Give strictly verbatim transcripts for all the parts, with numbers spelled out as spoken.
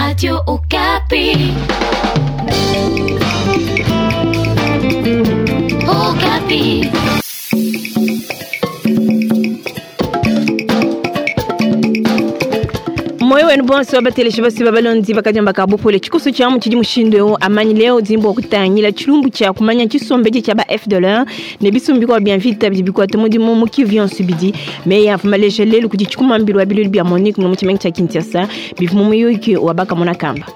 Radio Okapi. Okapi. Moyo wenu bonso bateleshi basi babalondi bakajamba kabupole chikusu cha mu chidi mushindo yo amanyi leo dzimbo kutangila chilumbu cha kumanya chisombeji cha ba F dollar ne bisumbi kwa bien vite bibikwa tumudi mu kivion subidi me ya fumaleje lelu kuti chikumambilwa bilulu bya Monique mu chimengi cha Kinshasa bivumu muyuki wabaka mona kamba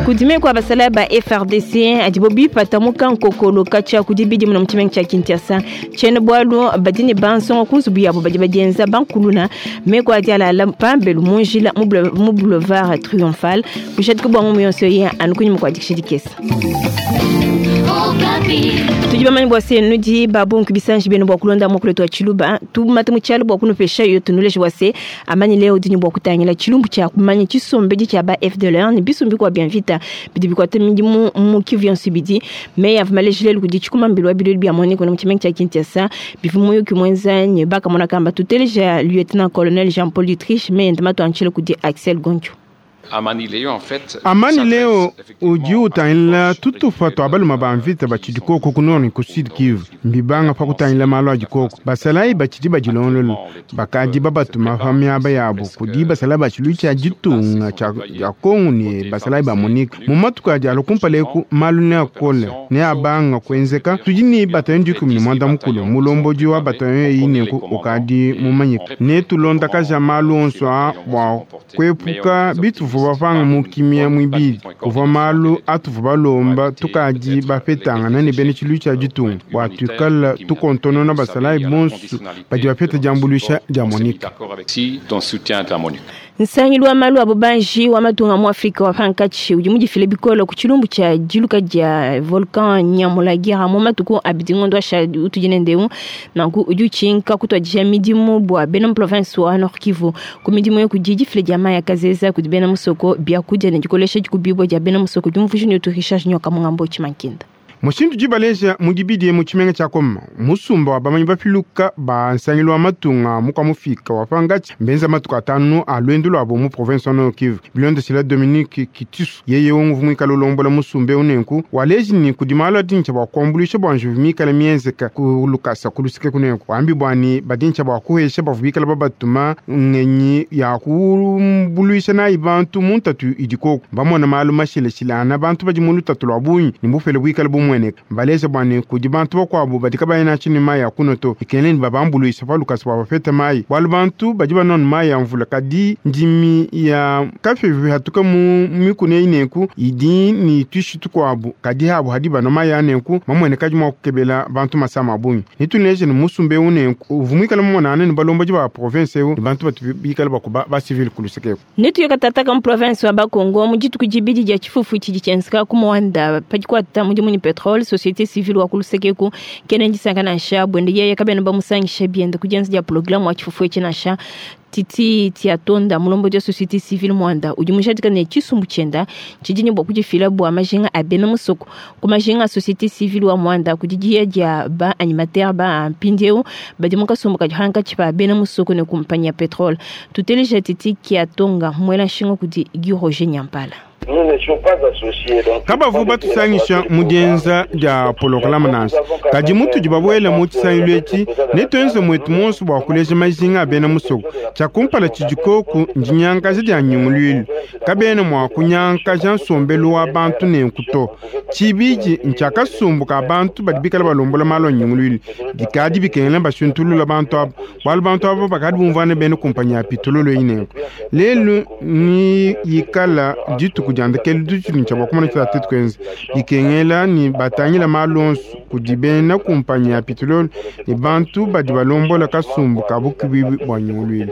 kudime kwa basala ba F R D C adibo bipata mukankokolo kacha kudibidi muno muchimengi cha Kinshasa chene bwalu badini bansongo kunzubu yabo badi badienza bankuluna me kwa diala la pambelu munjila mu boulevard triomphal bushati ko bwangu muyonso ye anukunyi mu kwa dikishidikesa tujiba mani bwase nudi babu nkubisanji beno bwa kulonda mu kuletwa chiluba tumate mu chalo bwa kunupesha yo tunuleje wase amani leo dini bwa kutangila chilumbu cha kumanya chisombeji cha ba F D L R ni bisumbi kwa bien vita bidi bikwa temindi mu mu kivion subidi me ya vumaleje lelu kudi chikuma mbilwa bilulu bya moni kono muchimengi cha Kinshasa bivumu yo kimwenza nyebaka mona kamba tuteleja lieutenant colonel Jean-Paul Dietrich me ndamato anchele kudi Axel Goncho. Amani leo en fait Amani leo uji utangila tutufa twabaluma bamvita bachidikoko kunoni ku Sud Kivu mbibanga pa kutangila malo ajikoko basalai bachidi bajilonlolo bakadi babatuma pa miaba yabo kudi basalai bachilu cha jitunga cha ya Kongo ni basalai ba Monique mu matuku aja alokumpaleku malu ne akole ne abanga kwenzeka tudi ni batayo ndikumi ni mwanda mukulu mulomboji wa batayo ineku ukadi mumanyika ne tulonda kaja malu onso a bwa kwepuka bituvu bavanga mukimia mwibili kuva malu atuvu balomba tukadi bapetangana ne bene tshilu tshia ditunga bua tuikala tukontonona basalayi bonso badi bapeta diambuluisha dia Monique. Nsangilu wa malu abo banji wa matunga mu Afrika wa pankachi udi mudifile bikolo ku chilumbu cha diluka dia volcan Nyamulagira mu matuku abidi ngondo asha utujine ndeu nanku udi uchinka kutwadisha midimu bua bena province wa Nord Kivu ku midimu yo kudi difile dia maya kazeza kudi bena musoko bia kudia ne dikolesha dikubibwa dia bena musoko diumvuji ne uturisha nyoka mungambo chimankinda. Mushindu jibaleja mudibidi mu chimenga cha Koma musumba wa bamanyi bafiluka ba nsangilu wa matunga mukwa mufika wa pangachi mbenza matuku atanu a lwendu lwabo mu province wa Nord Kivu bilondeshela Dominique Kitisu yeye unguvu mwikala ulombola musumba unenku waleji ni kudimalo adincha bwa kuambulisha bwa njuvu mikala mienzeka kulukasa kulusike kunenku wambi bwani badincha bwa kuhesha bavubikala babatuma ngenyi ya kumbuluisha nayi bantu muntatu idikoko bamona malu mashileshilana bantu badi mu lutatu lwa bunyi ni bufele bwikala bumwe baleza bwane kudi bantu bakwabo badika bayina chini mai ya kunoto ikeneni babambuluisa palukasi bwa bapeta mai bwalu bantu badi banonu mai ya mvula kadi ndimi ya kafevi hatuka mu mikune ineku idi ni tuishi tukwabo kadi habo hadi bano mai anenku mamwene kadi mwa kukebela bantu masama abunyi nituneje ni musumbe unenku uvumwikala mumonana ni balomboji ba province eu ni bantu batu bikala bakuba ba civil kulusekeko netu yakatata ka province wa Bakongo mu dituku dibidi dia tshifufu tshidi tshienzeka ku Mwanda padikwata mudimu ni petrole société civile wa kulusekeku kene ndisanga nansha bwende yeye kabena bamusangisha bienda kujenza dia programme wa tshifufu etshi nansha titi tiatonda mulombo dia société civile Mwanda udi mushadika ne tshisumbu tshienda tshidi bua kudifila bua majinga a bena musoko ku majinga a société civile wa Mwanda kudidia dia ba animateur ba mpindieu badi mukasumbu kadi hankatshi pa bena musoko ne kumpanya petrole tuteleja titi kiatonga mwela nshinga kudi Guy Roger Nyampala. Kabavu batusangisha mudienza dia polokalama nansi kadi mutudi babwela mu tshisangilu etshi netuenze mwetu monso bua kuleja majinga a bena musoko tshia kumpala tshidikoku ndinyankaja dia nyunguluilu kabena mua kunyankaja nsombelu wa bantu nenku to tshibidi ntshiakasumbu ka bantu badi bikala balombola malu a nyunguluilu bikadi bikengela bashuntulula bantu abo bualu bantu abo bakadi bumvuana bena kumpanyi ya pitololo eyi nenku lelu ni yikala dituku diandekelu dutshili ntshia bua kumona tshia tetu kuenza bikengela ni batangila malu onso kudi bena kumpanyi ya pitololo ni bantu badi balombola kasumbu ka bukibibi bua nyunguluilu.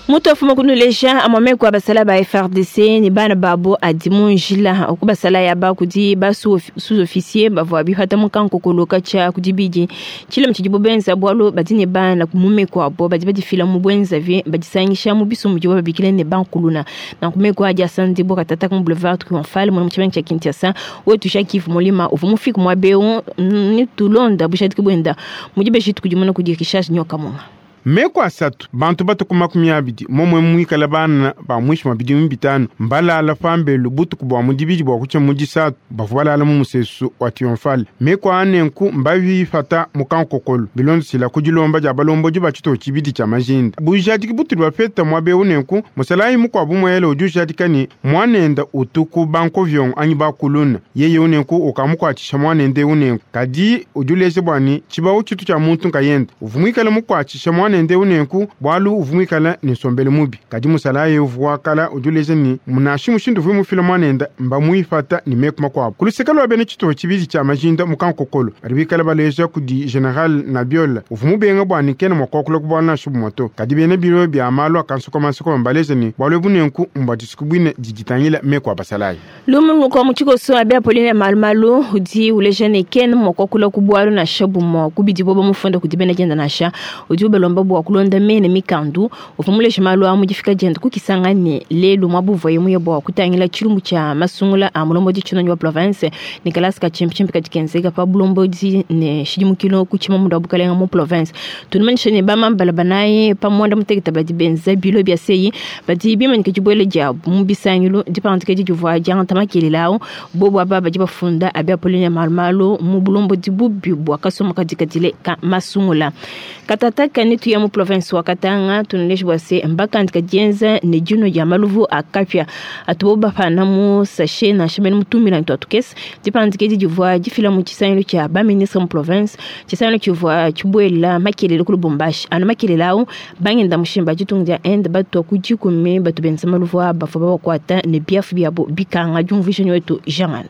Mutu afuma kunuleja amwameko abasala ba F R D C ni bana babo adimunjila okubasala ya ba kudi ba sous-officier bavua bihata mukanko koloka cha kudibidi chile mchijibo benza bwalo badine bana kumumeko abo badi badifila mu bwenza vi badisangisha mu biso mujibo babikile ne bankuluna na kumeko aja sandi boka tata ku boulevard triomphal mu mchibangi cha Kinshasa wetu shakifu mulima uvumufika mwabeu ni tulonda bushati kubwenda mujibe shitu kujimona kudirikisha nyoka munga. Meku asatu bantu batuku makumi abidi momwe mwikala bana ba mwishi mwa bidimu bitano mbalala pambelu butuku bwa mudibidi bwa kucha mudisatu bavu balala mu musesu wa triomphal. Meku anenku mbavifata mukankokolo bilondosila kudilomba dia balomboji ba tshito tshibidi tshia majinda bujadiki butuli bapeta mwabe unenku musalayi mukwabu mwele udi ujadika ni mwanenda utuku bankovyongo anyi bakuluna yeye unenku ukamukwatshisha mwanende unenku kadi udi uleja bwani tshibawu tshitu tshia muntu nkayenda uvumwikala mukwatshisha mwanende unenku bwalu uvumwikala ni nsombele mubi kadi musalayi uvuwakala udi uleja ni munashi mushindu uvui mufila mwanenda mbamuifata ni meku makuabu kuluseka lwa bene tshito tshibidi tshia majinda mukankokolo badi bikala baleja kudi general Nabiola uvumubenga bwani kena mwakokula kubwana shubu moto kadi bene biro bya malu akansokomansoko mbaleja ni bwalwe bunenku mbwadisuku bwine diditangila meku abasalayi lumu kwa mutshikoso abe Apolline Malumalu udi uleja ne kena mwakokula kubwalu na shabu mwa kubidi boba mufunda kudibena jenda nasha udi ubelomba bwa kulonda mene mikandu uvumuleja malu amu difika jenda kukisanga ne lelu mwabuva yemuye bwa kutangila tshilumbu tshia masungula a mulombodi tshino wa province Nicolas Kachimpichimpi kadikenzeka pa bulombodi ne shidimukilo kuchima mundu wa bukalenga mu province tunumanyisha ne bamambala banaye pamwanda muteketa badi benza bilo bya seyi badi bimanyika dibwele diabu mu bisangilu dipandika didivua diangata makelelawo bobo aba badi bafunda abe Apolline Malumalu mu bulombodi bubi bwa kasoma kadikadile ka masungula katata kanitu ya mu province wa Katanga tunuleje bwa se mbakandika dienza ne dino dia maluvu akapya atubo bafana mu sachet na shimene mutumila ntu atukese dipandika didivua difila mu tshisangilu tshia baministre mu province tshisangilu tshivua tshibwela makelele ku Lubumbashi anu makelele awu bangenda mushimba ditunga dia Inde batu kudikumi batu benza maluvu aba bafua babakwata ne biafu biabo bikanga diumvuisha wetu Jean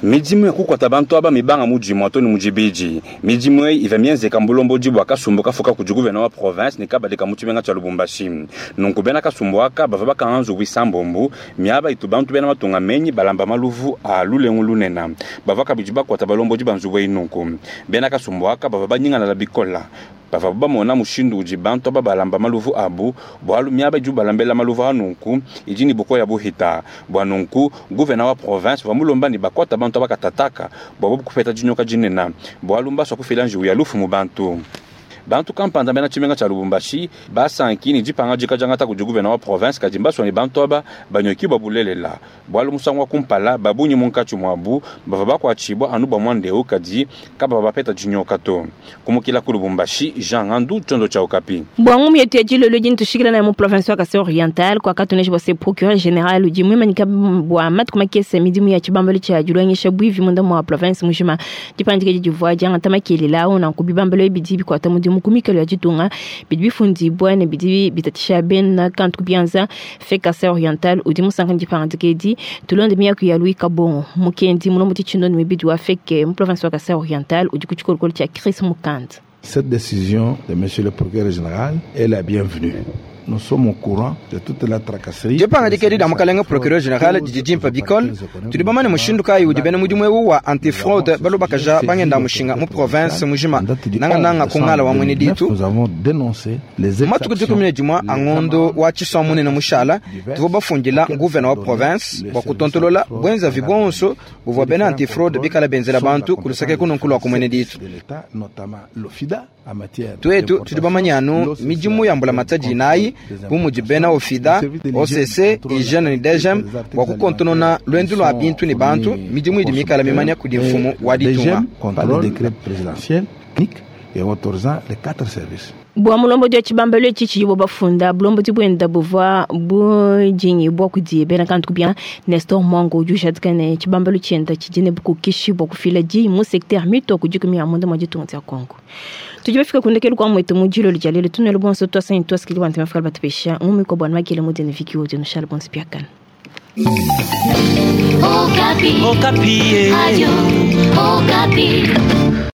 Midimu ya kukwata bantu aba mibanga mujimu atoni mujibiji midimu eyi iva mienzeka mbulomboji bwa kasumbu kafuka kudi guvena wa province ne kabadika mu tshimenga tshia Lubumbashi nunku bena kasumbu aka bava bakanga nzubu isambombu miaba itu bantu bena matunga menyi balamba maluvu a lulengu lunena bava kabidi bakwata balomboji ba nzubu eyi nunku bena kasumbu aka bava banyingana la bikola bava bamona mushindu udi bantu aba balamba maluvu abu bwalu miaba idi balambela maluvu anunku idi ni bukoya buhita bwa nunku guvena wa province vamulomba ni bakwata bantu abakatataka bwabo bukupeta dinyoka dinena bwalu mbaswa kufila njiwu ya lufu mu bantu bantu kampanda bena tshimenga tshia Lubumbashi basanki ni dipanga dikajangata kudi guvena wa province kadi mbaswa ni bantu aba banyoki bwa bulelela bwalu musangu wa kumpala babunyi munkatshi mwabu bava bakuatshibwa anu bwa mwandeu kadi kaba bapeta dinyoka to kumukila ku Lubumbashi Jean Ngandu tshiondo tshia Okapi bwangu mietu ya dilolo dini tushikila na mu province wa Kasai Oriental kwa katuneji bwa se procureur général udi mwimanyika bwa matuku makese midimu ya tshibambalo tshia dilongesha bwivi munda mwa province mujima dipandika didivua diangata makelela awu nanku bibambalo ebidi bikuata mudimu kumikalo ya ditunga bidi bifundibwa ne bidi bitatisha bena kantu kubianza fe Kasai Oriental udi musanka dipandika edi tulonde miyaku ya Louis Kabongo mukendi mulombo tshindoni mibidi wa feke mu province wa Kasai Oriental udi ku tshikolokolo tshia Chris Mukanda. Cette décision de monsieur le procureur général est la bienvenue. Nous sommes au courant de toute la tracasserie. Dipangadi da mukalenga procureur général didi dimpa bikol tudi bamane mushindu kayi udi bena mudimu ewu wa antifraude balobakaja bangenda mushinga mu province mujima nanga nanga kungala wa mwene ditu Nous avons dénoncé les matuku dikumi ne dimua angondo wa tshisua munene mushala tuvo bafundila nguvena wa province bua kutontolola bwenzavi bonso buvua bena antifraude bikala benzela bantu kuluseke kununkulu wa kumwene ditu de l'État, notamment l'OFIDA en matière twetu tudi bamanya anu midimu ya mbulamatadi inayi bu mudi bena ofida O C C hygiene ni D G M bua kukontonona lwendu lua bintu ne bantu midimu idi mikala mimanya kudi mfumu wa ditunga D G M par le décret présidentiel unique et autorisant les quatre services. Bwa mulombodi wa tshibambalo etshi tshidi bafunda bulombodi bwenda buvua budingi bua kudi bena kantu kubia Nestor Mwango udi ujadika ne tshibambalo tshienda tshidi ne bukokeshi bua kufila diyi mu secteur mito kudi ya munda mwa ditunga dia Congo. Tudi bafika kundekelu kwa mwetu mu dilolo dia lelo tunelo bonso twasanyi twasikili bantu bafika batupesha ngumi kwa bwana makele mudene viki udi nushala bonso piakana. Okapi. Okapi. Radio Okapi.